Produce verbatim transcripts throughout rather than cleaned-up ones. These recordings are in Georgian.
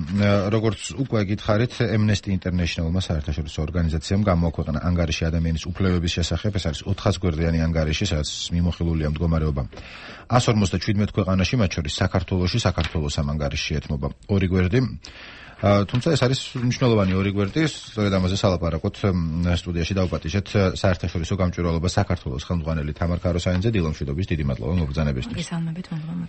როგორც უკვე გითხარით, Amnesty International-მა საერთაშორისო ორგანიზაციამ გამოაქვეყნა ანგარიში ადამიანის უფლებების შესახებ. ეს არის ოთხას გვერდიანი ანგარიში, სადაც მიმოხილულია მდგომარეობა one forty-seven ქვეყანაში, მათ შორის საქართველოში, საქართველოს ამ ანგარიშში ეთმობა ორი გვერდი. თუმცა ეს არის მნიშვნელოვანი ორი გვერდი, სწორედ ამაზე სალაპარაკოთ სტუდიაში დავპატიჟეთ საერთაშორისო გამჭვირვალობა საქართველოს ხელმძღვანელი თამარ ქაროსანიძე. დილო მშვიდობის, დიდი მადლობა მოგზანებისთვის. გესალმებით, მადლობა.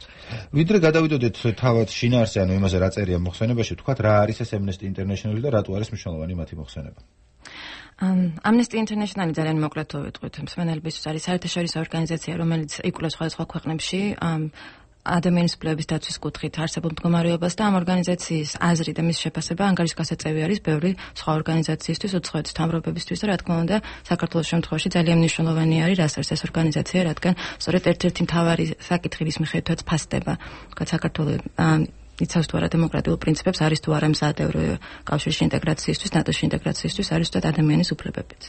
ვიდრე გადავიდოდეთ თავად შინაარსზე, ანუ იმაზე რა წერია მოხსენებაში, თქვათ რა არის ეს Amnesty International და რატო არის მნიშვნელოვანი მათი მოხსენება? Amnesty International ძალიან მოკლედ თუ ვიტყვით, მსმენელებისთვის არის საერთაშორისო ორგანიზაცია, რომელიც იკვლევს სხვადასხვა ქვეყნებში ადამიანის უფლებების დაცვის კუთხით არსებულ მდგომარეობას და ამ ორგანიზაციის აზრი და მის შეფასება ანგარიშგასაწევი არის ბევრი სხვა ორგანიზაციისთვის, უცხოეთის მთავრობებისთვის და რა თქმა უნდა საქართველოს შემთხვევაში ძალიან მნიშვნელოვანი არის რაც არის ეს ორგანიზაცია, რადგან სწორედ ერთ-ერთი მთავარი საკითხი რის მიხედვითაც ფასდება, თქვა საქართველოს იცავს თუ არა დემოკრატიულ პრინციპებს, არის თუ არა მზად ევროკავშირში ინტეგრაციისთვის, ნატოში ინტეგრაციისთვის, არის ზუსტად ადამიანის უფლებებიც.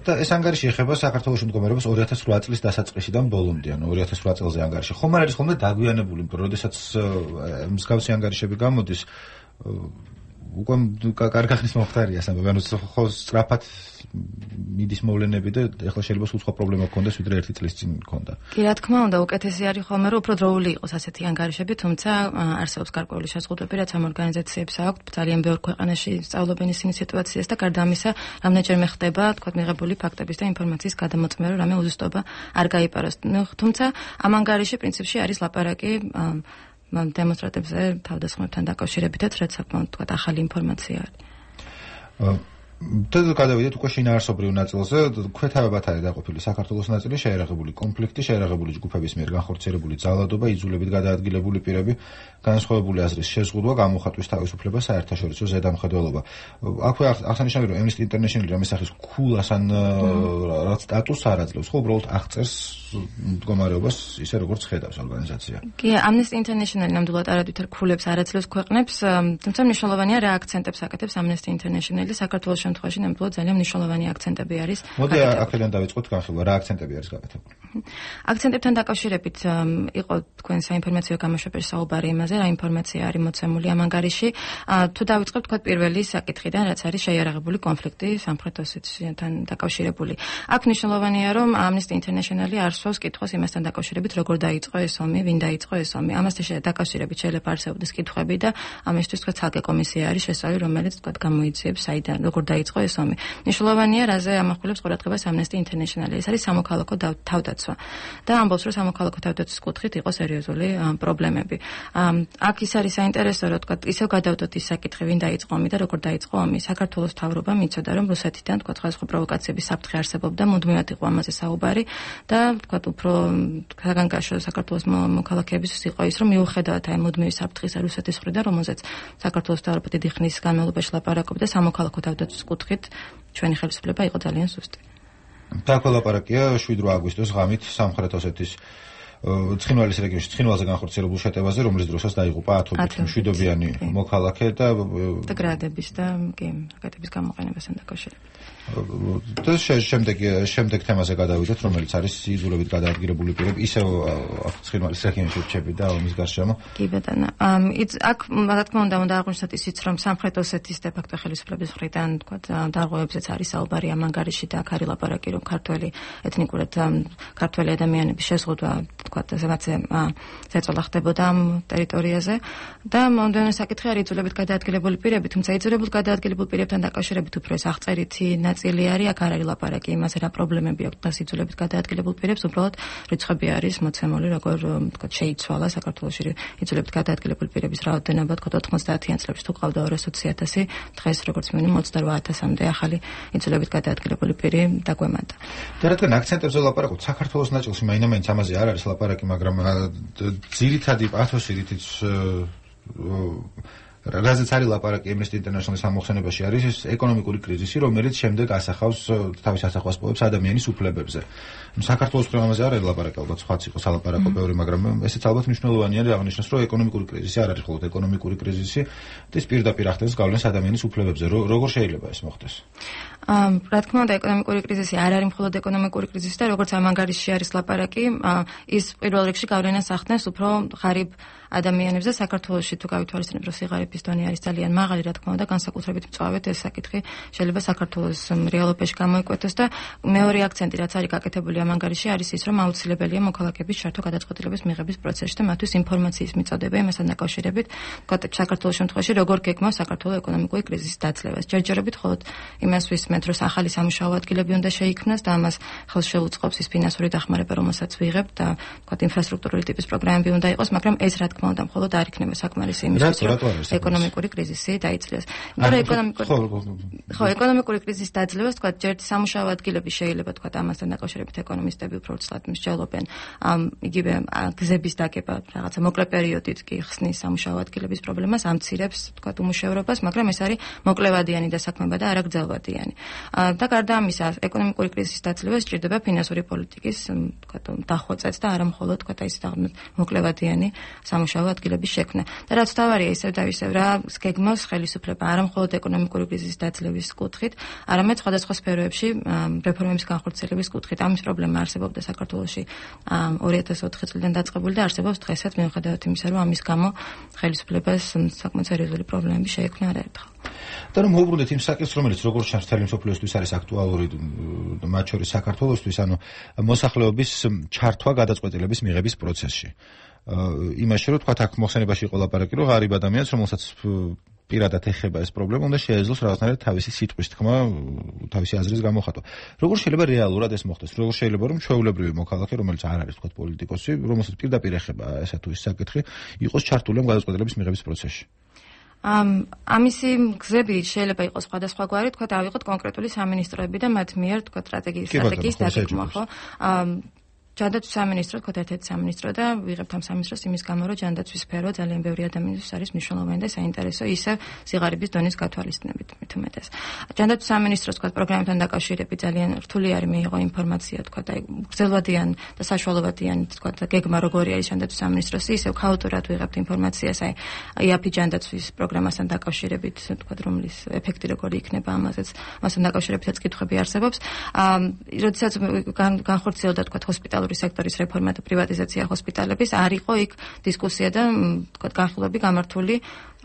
და ეს ანგარიში ეხება საქართველოს მდგომარეობას ორი ათას ოთხ წლის დასაწყისიდან ბოლომდე, ანუ ორი ათას ოთხ წელზე ანგარიში. ხომ არ არის ხოლმე დაგვიანებული, როდესაც მსგავსი ანგარიშები გამოდის, უკვე კარგი ხნის მომხდარია სამბავი, ანუ ხო სწრაფად მიდის მოვლენები და ეხლა შეიძლება სულ სხვა პრობლემა გქონდეს, ვიდრე ერთი წლის წინ გქონდა. კი, რა თქმა უნდა, უკეთესი არის ხოლმე, რომ უფრო დროული იყოს ასეთი ანგარიშები, თუმცა არსებობს გარკვეული შეზღუდვები, რაც ამ ორგანიზაციებს აქვთ, ძალიან ბევრ ქვეყანაში სწავლობენ ისინი სიტუაციას და გარდა ამისა, რამდენჯერმე ხდება, თქვა, მიღებული ფაქტების და ინფორმაციის გადამოწმება, რომ რამე უზუსტობა არ გაიპაროს. თუმცა ამ ანგარიში პრინციპში არის ლაპარაკი დემონსტრანტებზე თავდასხმებთან დაკავშირებითაც, რაც საკმაოდ თქვა ახალი ინფორმაცია არის. და გადავიდეთ უკვე შინაარსობრივ ნაწილზე, ქვეთავებად არის დაყოფილი საქართველოს ნაწილი, შეერაღებული კონფლიქტი, შეერაღებული ჯგუფების მიერ განხორციელებული ძალადობა, იძულებით გადაადგილებული პირები, განსხვავებული აზრის შეზღუდვა, გამოხატვის თავისუფლება, საერთაშორისო ზედამხედველობა. აქვე აღსანიშნავია, რომ Amnesty International რამის სახის ქულას ან რაც სტატუსს არ აძლევს, ხო უბრალოდ აღწერს მდგომარეობას ისე როგორც ხედავს ორგანიზაცია. კი, Amnesty International ნამდვილად არადვითარ ქულებს არ აძლევს ქვეყნებს, თუმცა მნიშვნელოვანია რა აქცენტებს აკეთებს Amnesty International საქართველოს შემთხვევაში ნამდვილად ძალიან მნიშვნელოვანი აქცენტები არის. მოდი აქედან დავიწყოთ განხილვა, რა აქცენტები არის გაკეთებული? აქცენტებთან დაკავშირებით იყო თქვენ საინფორმაციო გამოშვებაში საუბარი იმაზე, რა ინფორმაცია არის მოცემული ამ ანგარიში. თუ დავიწყებთ თქვა პირველი საკითხიდან, რაც არის შეიარაღებული კონფლიქტი სამხრეთ ოსეთიასთან დაკავშირებული. აქ მნიშვნელოვანია, რომ Amnesty International არ სვავს კითხვას იმასთან დაკავშირებით, როგორ დაიწყო ეს ომი, ვინ დაიწყო ეს ომი. ამასთან დაკავშირებით შეიძლება არსებობდეს კითხვები და ამისთვის თქვა ცალკე კომისია არის შესწავლილი, რომელიც თქვა გამოიძიებს საიდან როგორ დაიწყო ეს ომი. მნიშვნელოვანია, რაზე ამახვილებს ყურადღებას Amnesty International. ეს არის სამოქალაქო თავდაცვა. და ამბობს, რომ სამოქალაქო თავდაცვის კუთხით იყო სერიოზული პრობლემები. აქ ის არის საინტერესო, რომ თქვა ისევ გადავდოთ ის საკითხი, ვინ დაიწყო ომი და როგორ დაიწყო ომი. საქართველოს მთავრობამ იცოდა, რომ რუსეთიდან თქვა სხვადასხვა პროვოკაციების საფრთხე არსებობდა, მუდმივად იყო ამაზე საუბარი და თქვა უფრო საგანგაშო საქართველოს მოქალაქეებისთვის იყო ის, რომ მიუხედავად აი მუდმივი საფრთხისა რუსეთის მხრიდან, რომელზეც საქართველოს მთავრობა დიდი ხნის განმავლობაში ლაპარაკობდა, სამოქალაქო თავდაცვის კუთხით ჩვენი ხელისუფლება იყო ძალიან სუსტი. დაქვე ლაპარაკია შვიდ აგვისტოს ღამით სამხრეთ ოსეთის ცხინვალის რეგიონში ცხინვალზე განხორციელებულ შეტევაზე, რომლის დროსაც დაიღუპა ათობით მშვიდობიანი მოქალაქე და და გრადების და კი რაკეტების გამოყენებასთან დაკავშირებით. და შემდეგ შემდეგ თემაზე გადავიდეთ, რომელიც არის იძულებით გადაადგილებული პირები, ისევ ცხინვალის რეგიონში რჩები და ომის გარშემო. კი ბატონო. აქ რა თქმა უნდა უნდა აღვნიშნოთ ისიც, რომ სამხრეთ ოსეთის დე ფაქტო ხელისუფლების მხრიდან თქვა დარღვევებზეც არის საუბარი ამ ანგარიში და აქ არის ლაპარაკი, რომ ქართველი ეთნიკურად ქართველი ადამიანების შეზღუდვა თქვა ზემაცე ზეწოლა ხდებოდა ამ ტერიტორიაზე და მომდევნო საკითხი არის იძულებით გადაადგილებული პირები, თუმცა იძულებით გადაადგილებული პირებთან დაკავშირებით უფრო ეს აღწერითი ნაწილი არის, აქ არ არის ლაპარაკი იმაზე, რა პრობლემები აქვს და იძულებით გადაადგილებულ პირებს, უბრალოდ რიცხვები არის მოცემული, როგორ თქვა შეიცვალა საქართველოში იძულებით გადაადგილებული პირების რაოდენობა, თქვა ოთხმოცდაათიან წლებში თუ ყავდა ორას ოცი ათასი, დღეს როგორც მინიმუმ ოცდარვა ათასამდე ახალი იძულებით გადაადგილებული პირი დაგვემატა. და რადგან აქცენტებზე ლაპარაკობთ, საქართველოს ნაწილში მაინც ამაზე არ არის ლაპარაკი, მაგრამ ძირითადი პათოსი რითიც რაზეც არის ლაპარაკი Amnesty International-ის ამოხსენებაში არის ეს ეკონომიკური კრიზისი, რომელიც შემდეგ ასახავს თავის ასახვას პოვებს ადამიანის უფლებებზე. საქართველოს პროგრამაზე არ არის ლაპარაკი, ალბათ სხვაც იყო სალაპარაკო ბევრი, მაგრამ ესეც ალბათ მნიშვნელოვანია აღნიშნოს, რომ ეკონომიკური კრიზისი არ არის მხოლოდ ეკონომიკური კრიზისი, და ის პირდაპირ ახდენს გავლენას ადამიანის უფლებებზე. როგორ შეიძლება ეს მოხდეს? ამ რა თქმა უნდა ეკონომიკური კრიზისი არ არის მხოლოდ ეკონომიკური კრიზისი და როგორც ამ ანგარიშში არის ლაპარაკი, ის პირველ რიგში გავლენას ახდენს უფრო ღარიბ ადამიანებზე საქართველოში თუ გავითვალისწინებთ რომ სიღარიბის დონე არის ძალიან მაღალი, რა თქმა უნდა განსაკუთრებით მწვავედ ეს საკითხი შეიძლება საქართველოს რეალობაში გამოიკვეთოს და მეორე აქცენტი რაც არის გაკეთებული ამ ანგარიშში არის ის რომ აუცილებელია მოქალაქეების ჩართვა გადაწყვეტილების მიღების პროცესში და მათთვის ინფორმაციის მიწოდება იმასთან დაკავშირებით საქართველოს შემთხვევაში როგორ გეგმავს საქართველოს ეკონომიკური კრიზისის დაძლევას. ჯერჯერობით მხოლოდ იმას ვისმენთ რომ ახალი სამუშაო ადგილები უნდა შეიქმნას და ამას ხელს შეუწყობს ის ფინანსური დახმარება რომელსაც ვიღებთ და თქვათ ინფრასტრუქტურული ტიპის პროგრამები უნდა იყოს, მაგრამ ეს რა თქმა უნდა მხოლოდ არ იქნება საკმარისი იმისთვის რომ ეკონომიკური კრიზისი დაიწლიოს. მაგრამ ეკონომიკური ხო ეკონომიკური კრიზისის დაძლევას თქვათ ჯერ სამუშაო ადგილები შეიძლება თქვათ ამასთან დაკავშირებით ეკონომისტები უფრო ცუდად მსჯელობენ ამ იგივე გზების დაგება რაღაცა მოკლე პერიოდით კი ხსნის სამუშაო ადგილების პრობლემას ამცირებს თქვათ უმუშევრობას, მაგრამ ეს არის მოკლევადიანი დასაქმება და არა გრძელვადიანი. და გარდა ამისა ეკონომიკური კრიზისის დაძლევას სჭირდება ფინანსური პოლიტიკის თქვათ დახვეწაც და არა მხოლოდ თქვათ აი ეს მოკლევადიანი სამუშაო ადგილების შექმნა. და რაც თავარია ისევ და ისევ რა გეგმავს ხელისუფლება არა მხოლოდ ეკონომიკური კრიზისის დაძლევის კუთხით, არამედ სხვადასხვა სფეროებში რეფორმების განხორციელების კუთხით. ამის პრობლემა არსებობდა საქართველოში ორი ათას ოთხი წლიდან დაწყებული და არსებობს დღესაც მიუხედავად იმისა, რომ ამის გამო ხელისუფლებას საკმაოდ სერიოზული პრობლემები შეექმნა არაერთხელ. და რომ მოვუბრუნდეთ იმ საკითხს, რომელიც როგორც ჩანს მთელი მსოფლიოსთვის არის აქტუალური, მათ შორის საქართველოსთვის, ანუ მოსახლეობის ჩართვა გადაწყვეტილების მიღების პროცესში. იმაში რომ თქვათ აქ მოხსენებაში იყო ლაპარაკი, რომ ღარიბ ადამიანს, რომელსაც პირადად ეხება ეს პრობლემა, უნდა შეეძლოს რაღაცნაირად თავისი სიტყვის თქმა, თავისი აზრის გამოხატვა. როგორ შეიძლება რეალურად ეს მოხდეს? როგორ შეიძლება რომ ჩვეულებრივი მოქალაქე, რომელიც არ არის თქვათ პოლიტიკოსი, რომელსაც პირდაპირ ეხება ესა თუ ის საკითხი, იყოს ჩართული ამ გადაწყვეტილების მიღების პროცესში? ამ ამისი გზები შეიძლება იყოს სხვადასხვაგვარი, თქვათ ავიღოთ კონკრეტული სამინისტროები და მათ მიერ თქვათ სტრატეგიის სტრატეგიის დაგეგმა, ხო? ჯანდაცვის სამინისტრო, თქვათ ერთ-ერთი სამინისტრო და ვიღებთ ამ სამინისტროს იმის გამო, რომ ჯანდაცვის სფერო ძალიან ბევრი ადამიანის არის მნიშვნელოვანი და საინტერესო ისე სიღარიბის დონის გათვალისწინებით მით უმეტეს. ჯანდაცვის სამინისტროს თქვათ პროგრამებთან დაკავშირებით ძალიან რთული არის მიიღო ინფორმაცია, თქვათ აი გრძელვადიან და საშუალოვადიანი თქვათ გეგმა როგორი არის ჯანდაცვის სამინისტროს, ისევ ქაოტურად ვიღებთ ინფორმაციას აი იაფი ჯანდაცვის პროგრამასთან დაკავშირებით, თქვათ რომლის ეფექტი როგორი იქნება ამაზეც, მასთან დაკავშირებითაც კითხვები არსებობს. აა როდესაც განხორციელდა თქვათ ჰოსპიტალ სექტორის რეფორმა და პრივატიზაცია ჰოსპიტალების არ იყო იქ დისკუსია და თქვათ განხილვები გამართული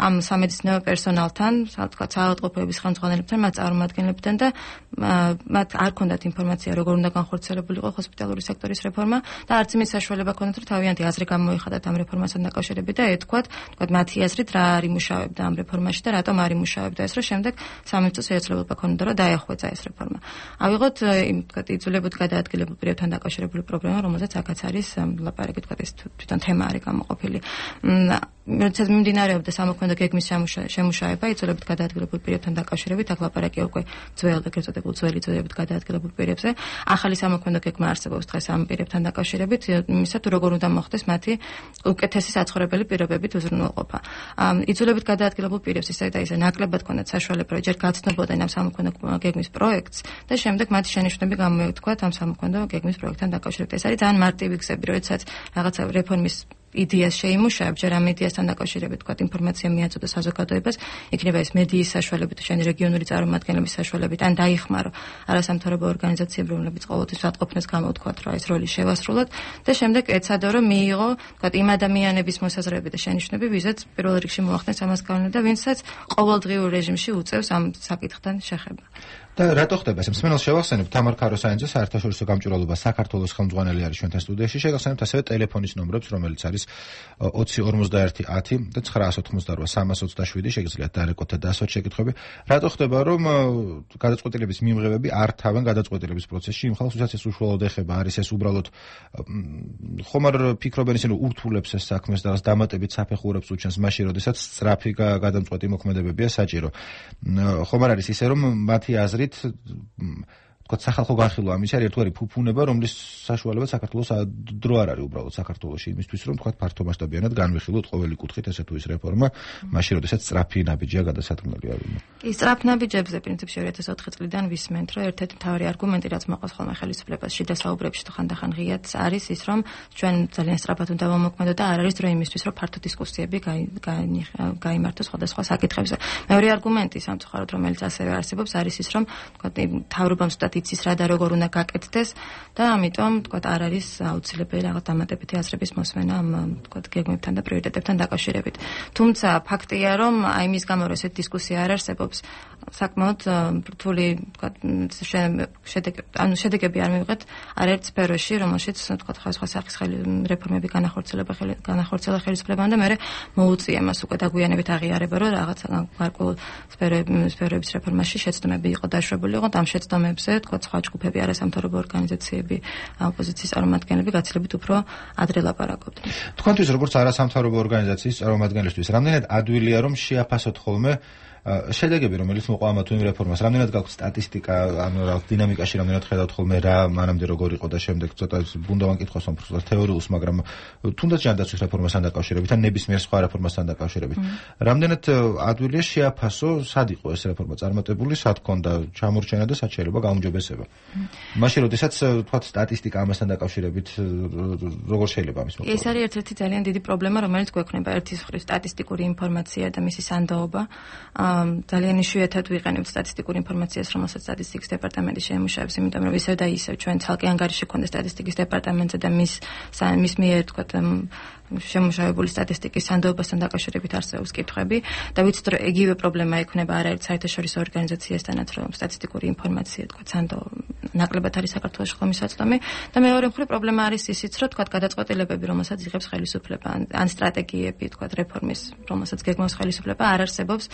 ამ სამედიცინო პერსონალთან, თქვათ საავადმყოფოების ხელმძღვანელებთან, მათ წარმომადგენლებთან და მათ არ ქონდათ ინფორმაცია როგორ უნდა განხორციელებულიყო ჰოსპიტალური სექტორის რეფორმა და არც იმის საშუალება ქონდათ რომ თავიანთი აზრი გამოიხადათ ამ რეფორმასთან დაკავშირებით და ეთქვათ, თქვათ მათი აზრით რა არ იმუშავებდა ამ რეფორმაში და რატომ არ იმუშავებდა ეს, რომ შემდეგ სამინისტროს შეეძლებოდა ქონოდა რომ დაეხვეწა ეს რეფორმა. ავიღოთ თქვათ იძულებოდ გადაადგილებულ პირებთან დაკავშირებული პრობლემა, რომელზეც აქაც არის ლაპარაკი, თქვათ ეს თვითონ თემა არის გამოყოფილი. როდესაც მიმდინარეობდა სამოქმედო გეგმის შემუშავება, იძულებით გადაადგილებულ პირებთან დაკავშირებით, აქ ლაპარაკია უკვე ძველ ეგრეთ წოდებულ ძველი იძულებით გადაადგილებულ პირებზე. ახალი სამოქმედო გეგმა არსებობს დღეს ამ პირებთან დაკავშირებით, იმისა თუ როგორ უნდა მოხდეს მათი უკეთესი საცხოვრებელი პირობებით უზრუნველყოფა. იძულებით გადაადგილებულ პირებს ისე და ისე ნაკლებად ქონდათ საშუალება, რომ ჯერ გაცნობოდნენ ამ სამოქმედო გეგმის პროექტს და შემდეგ მათი შენიშვნები გამოეთქვათ ამ სამოქმედო გეგმის პროექტთან დაკავშირებით. ეს არის ძალიან მარტივი გზები, როდესაც რაღაცა რეფორმის იდეას შეიმუშავებ, ჯერ ამ იდეასთან დაკავშირებით, თქვათ, ინფორმაცია მიაწოდო საზოგადოებას, იქნება ეს მედიის საშუალებით, შენი რეგიონული წარმომადგენლების საშუალებით, ან დაიხმარო არასამთავრობო ორგანიზაციები, რომლებიც ყოველთვის ვატყოფნას გამოვთქვათ, რა ეს როლი შევასრულოთ და შემდეგ ეცადო, რომ მიიღო, თქვათ, იმ ადამიანების მოსაზრებები და შენიშვნები, ვიზაც პირველ რიგში მოახდენს ამას გავლენა და ვინცაც ყოველდღიურ რეჟიმში უწევს ამ საკითხთან შეხება. და რატო ხდება ეს? მსმენელს შევახსენებ, თამარ ქაროსაინძე, საერთაშორისო გამჭვირვალობა საქართველოს ხელმძღვანელი არის ჩვენთან სტუდიაში. შევახსენებთ ასევე ტელეფონის ნომრებს, რომელიც არის ოცი ორმოცდაერთი ათი და ცხრაას ოთხმოცდარვა სამას ოცდაშვიდი, შეგიძლიათ დარეკოთ და დასვათ შეკითხვები. რატო ხდება, რომ გადაწყვეტილების მიმღებები არ თავენ გადაწყვეტილების პროცესში იმ ხალხს, ვისაც ეს უშუალოდ ეხება, არის ეს უბრალოდ ხომ არ ფიქრობენ ისინი, რომ ურთულებს ეს საქმეს და დამატებით საფეხურებს უჩენს მაშინ, როდესაც სწრაფი გადამწყვეტი მოქმედებებია საჭირო. ხომ არ არის ისე, რომ მათი აზრით თქვა სახალხო განხილვა ამის არის ერთგვარი ფუფუნება, რომლის საშუალება საქართველოს დრო არ არის უბრალოდ საქართველოში იმისთვის, რომ თქვა ფართო მასშტაბიანად განვიხილოთ ყოველი კუთხით ესე თუ ის რეფორმა, მაშინ როდესაც სწრაფი ნაბიჯია გადასათქმელი არის. კი, სწრაფ ნაბიჯებზე პრინციპში ორი ათას ოთხი წლიდან ვისმენთ, რომ ერთ-ერთი მთავარი არგუმენტი, რაც მოყავს ხოლმე ხელისუფლებას შიდა საუბრებში თუ ხანდახან ღიაც არის ის, რომ ჩვენ ძალიან სწრაფად უნდა ვამოქმედოთ და არ არის დრო იმისთვის, რომ ფართო დისკუსიები გაიმართოს სხვადასხვა საკითხებზე. მეორე არგუმენტი სამწუხაროდ, რომელიც ასევე არსებობს, არის ის, რომ თქვა მთავრობამ ზუსტად იცის რა და როგორ უნდა გაკეთდეს და ამიტომ თქვა არ არის აუცილებელი რაღაც დამატებითი აზრების მოსმენა ამ თქვა გეგმებთან და პრიორიტეტებთან დაკავშირებით. თუმცა ფაქტია, რომ აი მის გამო რომ ესეთი დისკუსია არ არსებობს, საკმაოდ რთული თქვა შედეგები, ანუ შედეგები არ მივიღეთ არაერთ სფეროში, რომელშიც თქვა სხვა სახის რეფორმები განახორციელება განახორციელა ხელისუფლებამ და მე მოუწია მას უკვე დაგვიანებით აღიარება, რომ რაღაც გარკვეულ სფეროების რეფორმაში შეცდომები იყო დაშვებული, იყო და ამ შეცდომებზე თქვა სხვა ჯგუფები, არასამთავრობო ორგანიზაციები, ოპოზიციის წარმომადგენლები გაცილებით უფრო ადრე ლაპარაკობდნენ. თქვენთვის როგორც არასამთავრობო ორგანიზაციის წარმომადგენლისთვის, რამდენად ადვილია რომ შეაფასოთ ხოლმე შედეგები, რომელიც მოყვა ამ თუ იმ რეფორმას, რამდენად გაქვთ სტატისტიკა, ანუ რა დინამიკაში რამდენად ხედავთ ხოლმე რა მანამდე როგორ იყო და შემდეგ ცოტა ბუნდოვან კითხვას ვამფრთხილებ თეორიულს, მაგრამ თუნდაც ჯანდაცვის რეფორმასთან დაკავშირებით ან ნებისმიერ სხვა რეფორმასთან დაკავშირებით. რამდენად ადვილია შეაფასო, სად იყო ეს რეფორმა წარმატებული, სად ქონდა ჩამორჩენა და სად შეიძლება გაუმჯობესება. მაშინ როდესაც თქვათ სტატისტიკა ამასთან დაკავშირებით როგორ შეიძლება ამის მოყვა? ეს არის ერთ-ერთი ძალიან დიდი პრობლემა, რომელიც გვექნება ერთის მხრივ სტატისტიკური ინფორმაცია და მისი სანდოობა. ძალიან იშვიათად ვიყენებთ სტატისტიკურ ინფორმაციას, რომელსაც სტატისტიკის დეპარტამენტი შეიმუშავებს, იმიტომ რომ ისევ და ისევ ჩვენ ცალკე ანგარიში გქონდა სტატისტიკის დეპარტამენტზე და მის მის მიერ თქვა შემუშავებული სტატისტიკის სანდოობასთან დაკავშირებით არსებობს კითხვები და ვიცით რომ იგივე პრობლემა ექნება არაერთ საერთაშორისო ორგანიზაციასთანაც, რომ სტატისტიკური ინფორმაცია თქვა სანდო ნაკლებად არის საქართველოში ხომისაწვდომი და მეორე მხრივ პრობლემა არის ისიც, რომ თქვა გადაწყვეტილებები, რომელსაც იღებს ხელისუფლება ან სტრატეგიები თქვა რეფორმის, რომელსაც გეგმავს ხელისუფლება, არ არსებობს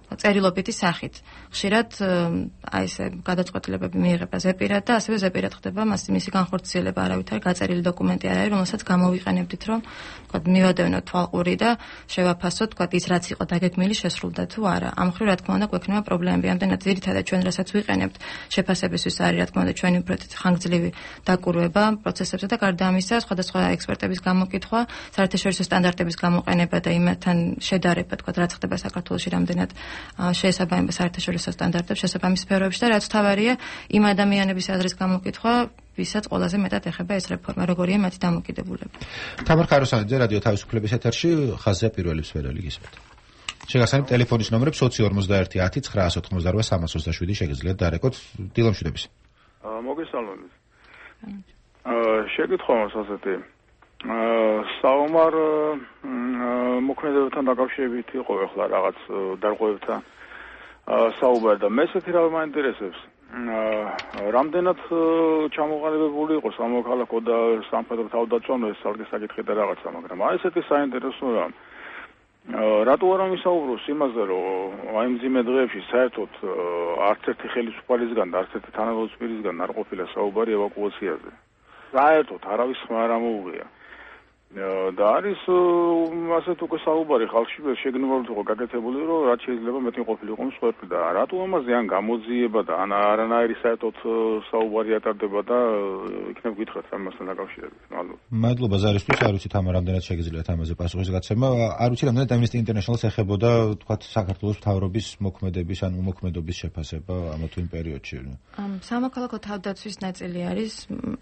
წერილობითი სახით. ხშირად აი ესე გადაწყვეტილებები მიიღება ზეპირად და ასევე ზეპირად ხდება მისი განხორციელება, არავითარი გაწერილი დოკუმენტი არ არის, რომელსაც გამოვიყენებდით, რომ თქვა მივადევნოთ თვალყური და შევაფასოთ, თქვა ის რაც იყო დაგეგმილი შესრულდა თუ არა. ამ მხრივ რა თქმა უნდა გვექნება პრობლემები. ამდენად ძირითადად ჩვენ რასაც ვიყენებთ შეფასებისთვის არის რა თქმა უნდა ჩვენი უფრო ხანგრძლივი დაკვირვება პროცესებზე და გარდა ამისა სხვადასხვა ექსპერტების გამოკითხვა, საერთაშორისო სტანდარტების გამოყენება და იმათთან შედარება, თქვა რაც ხდება საქართველოში რამდენად შეესაბამება საერთაშორისო სტანდარტებს შესაბამის სფეროებში და რაც თავარია იმ ადამიანების აზრის გამოკითხვა, ვისაც ყველაზე მეტად ეხება ეს რეფორმა, როგორია მათი დამოკიდებულება. თამარ ხაროსანიძე, რადიო თავისუფლების ეთერში, ხაზზე პირველი სფეროელი გისმენთ. შეგახსენებთ ტელეფონის ნომრებს ოცი ორმოცდაერთი ათი ცხრაასი ოთხმოცდარვა სამას ოცდაშვიდი შეგიძლიათ დარეკოთ დილამშვიდობის. მოგესალმებით. შეკითხვა მაქვს ასეთი. საომარ მოქმედებებთან დაკავშირებით იყო ახლა რაღაც დარღვევებთან საუბარი და მესეთი რა მაინტერესებს. რამდენად ჩამოყალიბებული იყო სამოქალაქო და სამხედრო თავდაცვამების სალგე საკითხი და რაღაცა, მაგრამ აი ესეთი საინტერესოა. რატო არ ვისაუბროს იმაზე, რომ აი მძიმე დღეებში საერთოდ არც ერთი ხელისუფალისგან და არც ერთი თანამდებობის პირისგან არ ყოფილა საუბარი ევაკუაციაზე. საერთოდ არავის ხმა არ ამოუღია. და არის ასეთ უკვე საუბარი ხალხში შეგნებულად იყო გაკეთებული, რომ რაც შეიძლება მეტი ყოფილიყო მსხვერპლი და რატო ამაზე ან გამოძიება და ან არანაირი საერთოდ საუბარი ატარდება და იქნებ გითხრათ ამასთან დაკავშირებით. მადლობა. მადლობა ზარისთვის, არ ვიცი თამა რამდენად შეგიძლიათ ამაზე პასუხის გაცემა. არ ვიცი რამდენად Amnesty International-ს ეხებოდა თქვათ საქართველოს მთავრობის მოქმედების ან უმოქმედობის შეფასება ამ თუ იმ პერიოდში. სამოქალაქო თავდაცვის ნაწილი არის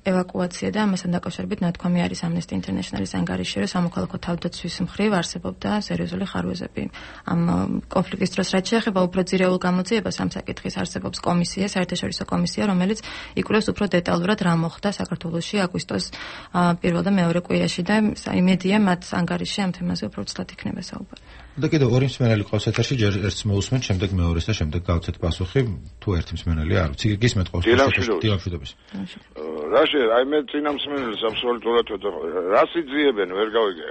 ევაკუაცია და ამასთან დაკავშირებით ნათქვამი არის Amnesty International-ის ანგარიში, რომ სამოქალაქო თავდაცვის მხრივ არსებობდა სერიოზული ხარვეზები. ამ კონფლიქტის დროს რაც შეეხება უფრო ძირეულ გამოძიებას ამ საკითხის არსებობს კომისია, საერთაშორისო კომისია, რომელიც იკვლევს უფრო დეტალურად რა მოხდა საქართველოში აგვისტოს პირველ და მეორე კვირაში და იმედია მათ ანგარიში ამ თემაზე უფრო ცუდად იქნება საუბარი. და კიდევ ორი მსმენელი ყავს ეთერში, ჯერ ერთს მოусმენთ, შემდეგ მეორეს და შემდეგ გავცეთ პასუხი, თუ ერთი მსმენელი არ ვიცი, გისმენთ ყავს დილამშვიდობის. რაში, აი მე წინა მსმენელს აბსოლუტურად რას იძიებენ, ვერ გავიგე.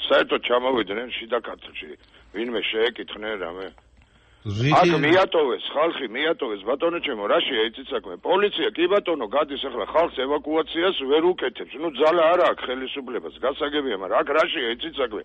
საერთოდ ჩამოვიდნენ შიდა ქართლში. ვინმე შეეკითხნენ რამე. აქ მიატოვეს, ხალხი მიატოვეს, ბატონო ჩემო, რაშია იცით საქმე? პოლიცია კი ბატონო გადის ახლა ხალხს ევაკუაციას ვერ უკეთებს. ნუ ძალა არა აქვს ხელისუფლებას, გასაგებია, მაგრამ აქ რაშია იცით საქმე?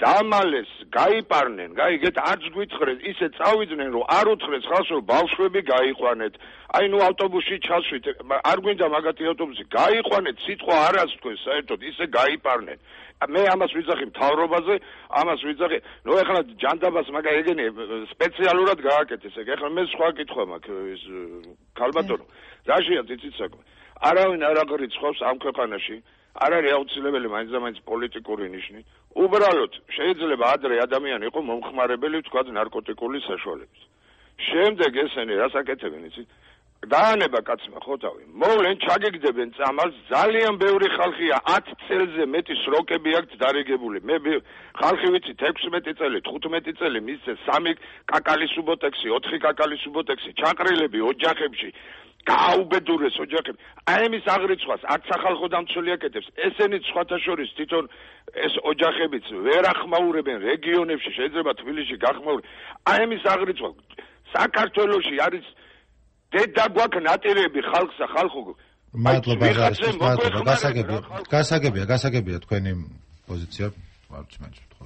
დამალეს გაიპარნენ, გაიგეთ, არც გვითხრეს, ისე წავიდნენ, რომ არ უთხრეს ხალხს, რომ ბავშვები გაიყვანეთ. აი ნუ ავტობუსში ჩასვით, არ გვინდა მაგათი ავტობუსი, გაიყვანეთ, სიტყვა არას თქვენ საერთოდ, ისე გაიპარნენ. მე ამას ვიძახი მთავრობაზე, ამას ვიძახი. ნუ ეხლა ჯანდაბას მაგა ეგენი სპეციალურად გააკეთეს ეგ. ეხლა მე სხვა კითხვა მაქვს ის ქალბატონო. რაშია ციცით საქმე? არავინ არ აღრიცხავს ამ ქვეყანაში. არ არის აუცილებელი მაინც და მაინც პოლიტიკური ნიშნი. უბრალოდ შეიძლება ადრე ადამიანი იყო მომხმარებელი თქვა ნარკოტიკული საშუალების. შემდეგ ესენი რას აკეთებენ იცით? დაანება კაცმა ხო თავი. მოვლენ ჩაგიგდებენ წამალს, ძალიან ბევრი ხალხია ათ წელზე მეტი სროკები აქვთ დარიგებული. მე ხალხი ვიცით ექვსმეტი წელი, თხუთმეტი წელი მისცე სამი კაკალის სუბოტექსი, ოთხი კაკალის სუბოტექსი, ჩაყრილები ოჯახებში. გააუბედურეს ოჯახები. აი ამის აღრიცხვას არც სახალხო დამცველი აკეთებს. ესენიც სხვათა შორის თვითონ ეს ოჯახებიც ვერ ახმაურებენ რეგიონებში, შეიძლება თბილისში გახმაურებენ. აი ამის აღრიცხვა საქართველოში არის დედა გვაქვს ნატირები ხალხსა ხალხო. მადლობა გარესის, მადლობა. გასაგებია, გასაგებია, გასაგებია თქვენი პოზიცია. არ ვიცი მაინც ვთქვა.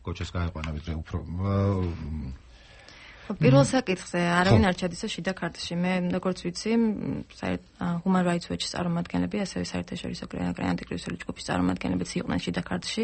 კოჩეს გაიყვანა ვიდრე უფრო პირველ საკითხზე არავინ არ ჩადის შიდა ქართლში. მე როგორც ვიცი, Human Rights Watch-ის წარმომადგენლები, ასევე საერთაშორისო ანტიკრიზისული ჯგუფის წარმომადგენლებიც იყვნენ შიდა ქართლში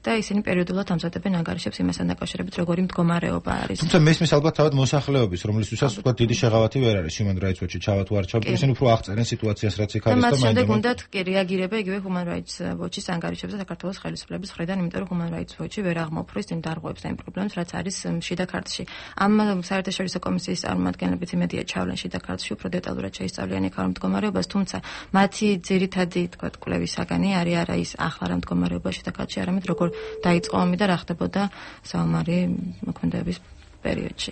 და ისინი პერიოდულად ამზადებენ ანგარიშებს იმასთან დაკავშირებით, როგორი მდგომარეობა არის. თუმცა მესმის ალბათ თავად მოსახლეობის, რომლისთვისაც თქვა დიდი შეღავათი ვერ არის Human Rights Watch-ი ჩავა თუ არ ჩავა, ისინი უფრო აღწერენ სიტუაციას, რაც იქ არის და მაინც შემდეგ უნდათ კი რეაგირება იგივე Human Rights Watch-ის ანგარიშებზე საქართველოს ხელისუფლების მხრიდან, იმიტომ რომ Human Rights Watch-ი ვერ აღმოფხრის იმ დარღვევებს და იმ პრობლემებს, რაც არის შიდა ქართლში. ამ საერთაშორისო კომისიის წარმომადგენლებიც იმედია ჩავლენ შიდა ქართლში უფრო დეტალურად შეისწავლიან იქ ამ მდგომარეობას, თუმცა მათი ძირითადი თქვა კვლევის საგანი არის არა ის ახლა რა მდგომარეობა შიდა ქართლში, არამედ როგორ დაიწყო ომი და რა ხდებოდა საომარი მოქმედების პერიოდში.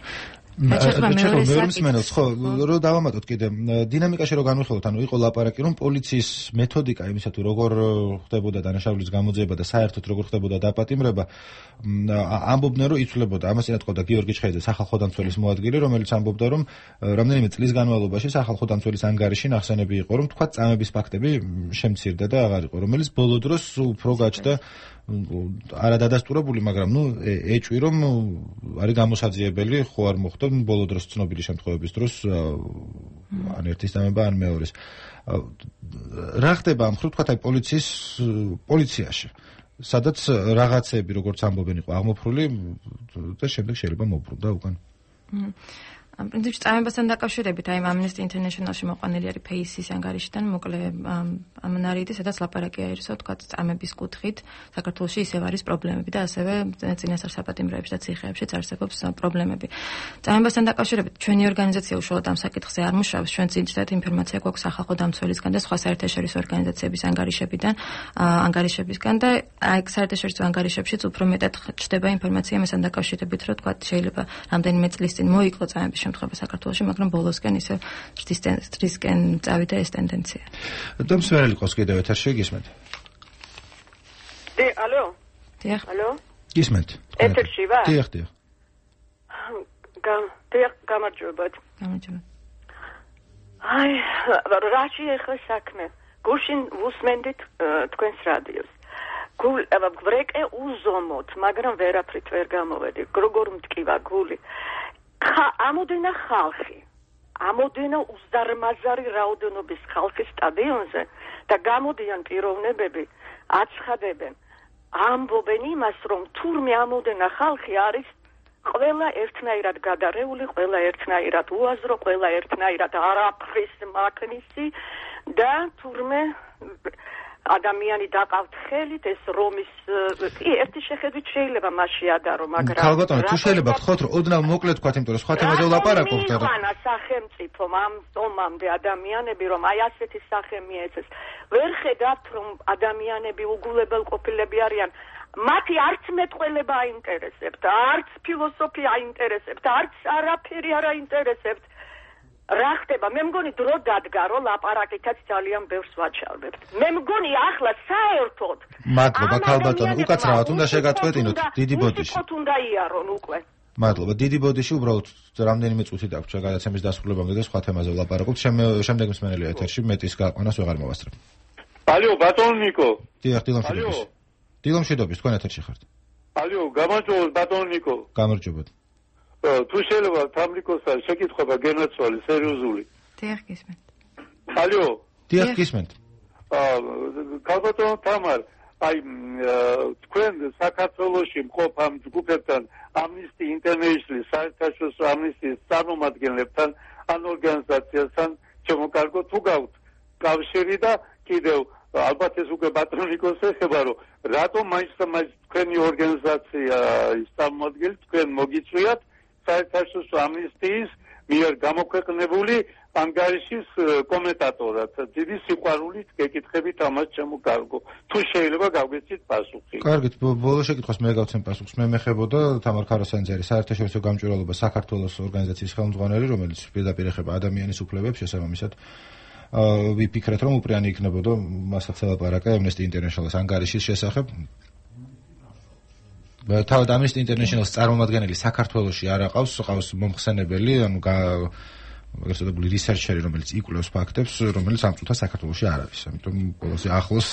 მეორე მსმენელს ხო რომ დავამატოთ კიდე დინამიკაში რომ განვიხილოთ, ანუ იყო ლაპარაკი რომ პოლიციის მეთოდიკა იმისა თუ როგორ ხდებოდა დანაშაულის გამოძიება და საერთოდ როგორ ხდებოდა დაპატიმრება ამბობდნენ რომ იცვლებოდა. ამას ინათქვამდა გიორგი ჩხეიძე, სახალხო დამცველის მოადგილე, რომელიც ამბობდა რომ რამდენიმე წლის განმავლობაში სახალხო დამცველის ანგარიში ნახსენები იყო რომ თქვა წამების ფაქტები შემცირდა და აღარ იყო, რომელიც ბოლო დროს უფრო გაჩნდა არადადასტურებული, მაგრამ ნუ ეჭვი რომ არის გამოსაძიებელი, ხო არ მოხდა ბოლო დროს ცნობილი შემთხვევების დროს ან ერთის დამება ან მეორის. რა ხდება ამ ხრივ თქვა აი პოლიციის პოლიციაში, სადაც რაღაცები როგორც ამბობენ იყო აღმოფხვრული და შემდეგ შეიძლება მოbrunდა უკან. ამ პრინციპში წამებასთან დაკავშირებით აი Amnesty International-ში მოყვანილი არის ფეისის ანგარიშიდან მოკლე ამნარიდი, სადაც ლაპარაკი აირსო თქვა წამების კუთხით საქართველოში ისევ არის პრობლემები და ასევე წინასწარ საპატიმროებში და ციხეებშიც არსებობს პრობლემები. წამებასთან დაკავშირებით ჩვენი ორგანიზაცია უშუალოდ ამ საკითხზე არ მუშაობს, ჩვენ ძირითადად ინფორმაცია გვაქვს სახალხო დამცველისგან და სხვა საერთაშორისო ორგანიზაციების ანგარიშებიდან, ანგარიშებისგან და აი საერთაშორისო ანგარიშებშიც უფრო მეტად ჩდება ინფორმაცია ამასთან დაკავშირებით, რომ თქვა შეიძლება რამდენიმე წლის წინ მოიკლო წამების შემთხვევა საქართველოში, მაგრამ ბოლოსკენ ისე სტრისკენ წავიდა ეს ტენდენცია. დამსვენელი ყავს კიდევ ეთერში, გისმენთ? დი, ალო? დიახ. ალო? გისმენთ. ეთერში ვარ? დიახ, დიახ. გამ, დიახ, გამარჯობათ. გამარჯობა. აი, რაში ახლა საქმე? გუშინ ვუსმენდით თქვენს რადიოს. გულ, ვრეკე უზომოთ, მაგრამ ვერაფრით ვერ გამოვედი. როგორ მტკივა გული. ხა ამოდენა ხალხი, ამოდენა უზარმაზარი რაოდენობის ხალხი სტადიონზე და გამოდიან პიროვნებები, აცხადებენ, ამბობენ იმას, რომ თურმე ამოდენა ხალხი არის ყველა ერთნაირად გადარეული, ყველა ერთნაირად უაზრო, ყველა ერთნაირად არაფრის მაქნისი და თურმე ადამიანი დაყავთ ხელით ეს რომის კი ერთი შეხედვით შეიძლება მასში ადარო, მაგრამ ქალბატონო თუ შეიძლება გთხოვთ რომ ოდნავ მოკლედ თქვათ, იმიტომ რომ სხვა თემაზე ვლაპარაკობთ. რა სახელმწიფომ ამ ომამდე ადამიანები რომ აი ასეთი სახე მიეცეს, ვერ ხედავთ რომ ადამიანები უგულებელყოფილები არიან, მათი არც მეტყველება აინტერესებთ, არც ფილოსოფია აინტერესებთ, არც არაფერი არ აინტერესებთ. რა ხდება? მე მგონი დრო დადგა რომ ლაპარაკითაც ძალიან ბევრს ვაჩალდებთ. მე მგონი ახლა საერთოდ მადლობა ქალბატონო, უკაცრავად უნდა შეგაწყვეტინოთ დიდი ბოდიში. უკეთ უნდა იარონ უკვე. მადლობა. დიდი ბოდიში უბრალოდ რამდენიმე წუთი დაგვჭირდა გადაცემის დასრულებამდე და სხვა თემაზე ვლაპარაკობთ. შემდეგ მსმენელია ეთერში, მეტის გაყვანას ვეღარ მოვასწრებ. ალო, ბატონო ნიკო. დიახ, დილამშვიდობის. დილო მშვიდობის, თქვენ ეთერში ხართ. ალო, გამარჯობა ბატონო ნიკო. გამარჯობა. თუ შეიძლება თამრიკოსთან შეკითხება გენაცვალი სერიოზული. დიახ, გისმენთ. ალო. დიახ, გისმენთ. აა, კალბატონო თამარ, აი თქვენ საქართველოში მყოფ ამ ჯგუფებთან Amnesty International, საერთაშორისო ამნისტიის წარმომადგენლებთან ან ორგანიზაციასთან შემოკარგოთ თუ გავთ კავშირი და კიდევ ალბათ ეს უკვე ბატონო ნიკოს ეხება რომ რატომ მაინც და მაინც თქვენი ორგანიზაცია ის წარმომადგენელი თქვენ მოგიწვიათ საერთაშორისო ამნისტიის მიერ გამოქვეყნებული ანგარიშის კომენტატორად დიდი სიყვარულით გეკითხებით ამას შემოკარგო თუ შეიძლება გავგეცით პასუხი. კარგით, ბოლოს შეკითხვას მე გავცემ პასუხს. მე მეხებოდა თამარ ქაროსანიძე არის საერთაშორისო გამჭვირვალობა საქართველოს ორგანიზაციის ხელმძღვანელი, რომელიც პირდაპირ ეხება ადამიანის უფლებებს, შესაბამისად ვიფიქრეთ, რომ უპრიანი იქნებოდა მასაც ელაპარაკა Amnesty International-ის ანგარიშის შესახებ. თავად Amnesty International-ის წარმომადგენელი საქართველოში არ აყავს, ყავს მომხსენებელი, ანუ ეგრეთ წოდებული რისერჩერი, რომელიც იკვლევს ფაქტებს, რომელიც ამ წუთას საქართველოში არ არის. ამიტომ ბოლოს ახლოს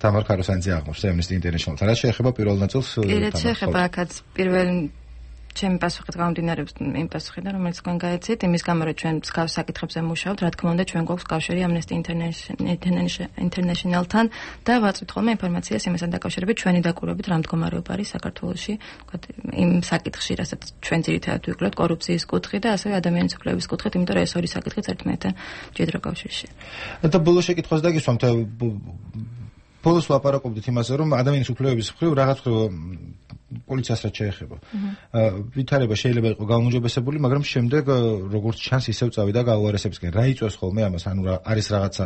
თამარ ქაროსანიძე აღმოჩნდა Amnesty International-თან. რაც შეეხება პირველ ნაწილს, რაც შეეხება აქაც პირველ ჩემი პასუხით გამომდინარეობს იმ პასუხიდან, რომელიც თქვენ გაეცით, იმის გამო რომ ჩვენ მსგავს საკითხებზე მუშაობთ, რა თქმა უნდა, ჩვენ გვაქვს კავშირი Amnesty International-თან და ვაწვით ხოლმე ინფორმაციას იმასთან დაკავშირებით, ჩვენი დაკვირვებით რა მდგომარეობა არის საქართველოში, ვთქვათ, იმ საკითხში, რასაც ჩვენ ძირითადად ვიკვლევთ, კორუფციის კუთხე და ასევე ადამიანის უფლებების კუთხით, იმიტომ რომ ეს ორი საკითხიც ერთმანეთთან მჭიდრო კავშირში. და ბოლოს შეკითხვას დაგისვამთ, ბოლოს ლაპარაკობდით იმაზე, რომ ადამიანის უფლებების მხრივ რაღაც პოლიციას რაც შეეხება. ვითარება შეიძლება იყოს გაუმჯობესებული, მაგრამ შემდეგ როგორც ჩანს ისევ წავიდა გაუარესებისკენ. რა იწვევს ხოლმე ამას? ანუ არის რაღაცა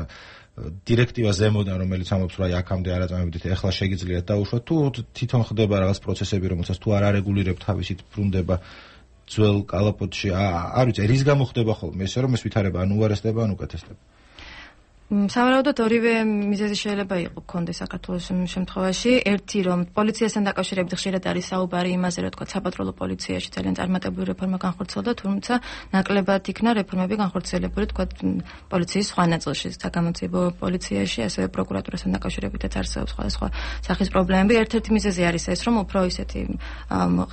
დირექტივა ზემოდან, რომელიც ამბობს, რომ აი აქამდე არ აწამებდით, ეხლა შეგიძლიათ დაუშვათ, თუ თვითონ ხდება რაღაც პროცესები, რომელსაც თუ არ არეგულირებთ, თავისით ბრუნდება ძველ კალაპოტში. არ ვიცი, რის გამო ხდება ხოლმე ესე, რომ ეს ვითარება ან უარესდება, ან უკეთესდება. სავარაუდოდ ორივე მიზეზი შეიძლება იყო კონდეს საქართველოს შემთხვევაში. ერთი რომ პოლიციასთან დაკავშირებით ხშირად არის საუბარი იმაზე, რომ თქვა საპატრულო პოლიციაში ძალიან წარმატებული რეფორმა განხორციელდა, თუმცა ნაკლებად იქნა რეფორმები განხორციელებული თქვა პოლიციის სხვა ნაწილში, საგამოძიებო პოლიციაში, ასევე პროკურატურასთან დაკავშირებითაც არსებობს სხვადასხვა სახის პრობლემები. ერთ-ერთი მიზეზი არის ეს, რომ უფრო ისეთი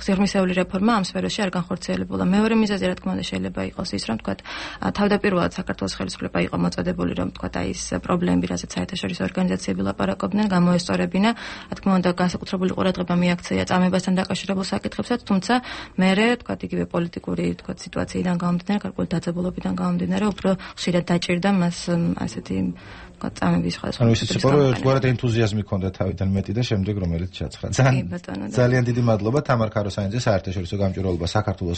სიღრმისეული რეფორმა ამ სფეროში არ განხორციელებულა. მეორე მიზეზი, რა თქმა უნდა, შეიძლება იყოს ის, რომ თქვა თავდაპირველად საქართველოს ხელისუფლება იყო მოწოდებული, რომ თქვა ის პრობლემები, რასაც საერთაშორისო ორგანიზაციები ლაპარაკობდნენ, გამოესწორებინა, რა თქმა უნდა, განსაკუთრებული ყურადღება მიაქცია წამებასთან დაკავშირებულ საკითხებსაც, თუმცა მერე, თქვათ, იგივე პოლიტიკური, თქვათ, სიტუაციიდან გამომდინარე, გარკვეული დაძაბულობიდან გამომდინარე, უფრო ხშირად დაჭირდა მას ასეთი, თქვათ, წამების სხვადასხვა. ანუ ისიც იყო, რომ ერთგვარად ენთუზიაზმი ჰქონდა თავიდან მეტი და შემდეგ რომელიც ჩაცხრა. ძალიან ძალიან დიდი მადლობა თამარ ქაროსანიძე, საერთაშორისო გამჭვირვალობა საქართველოს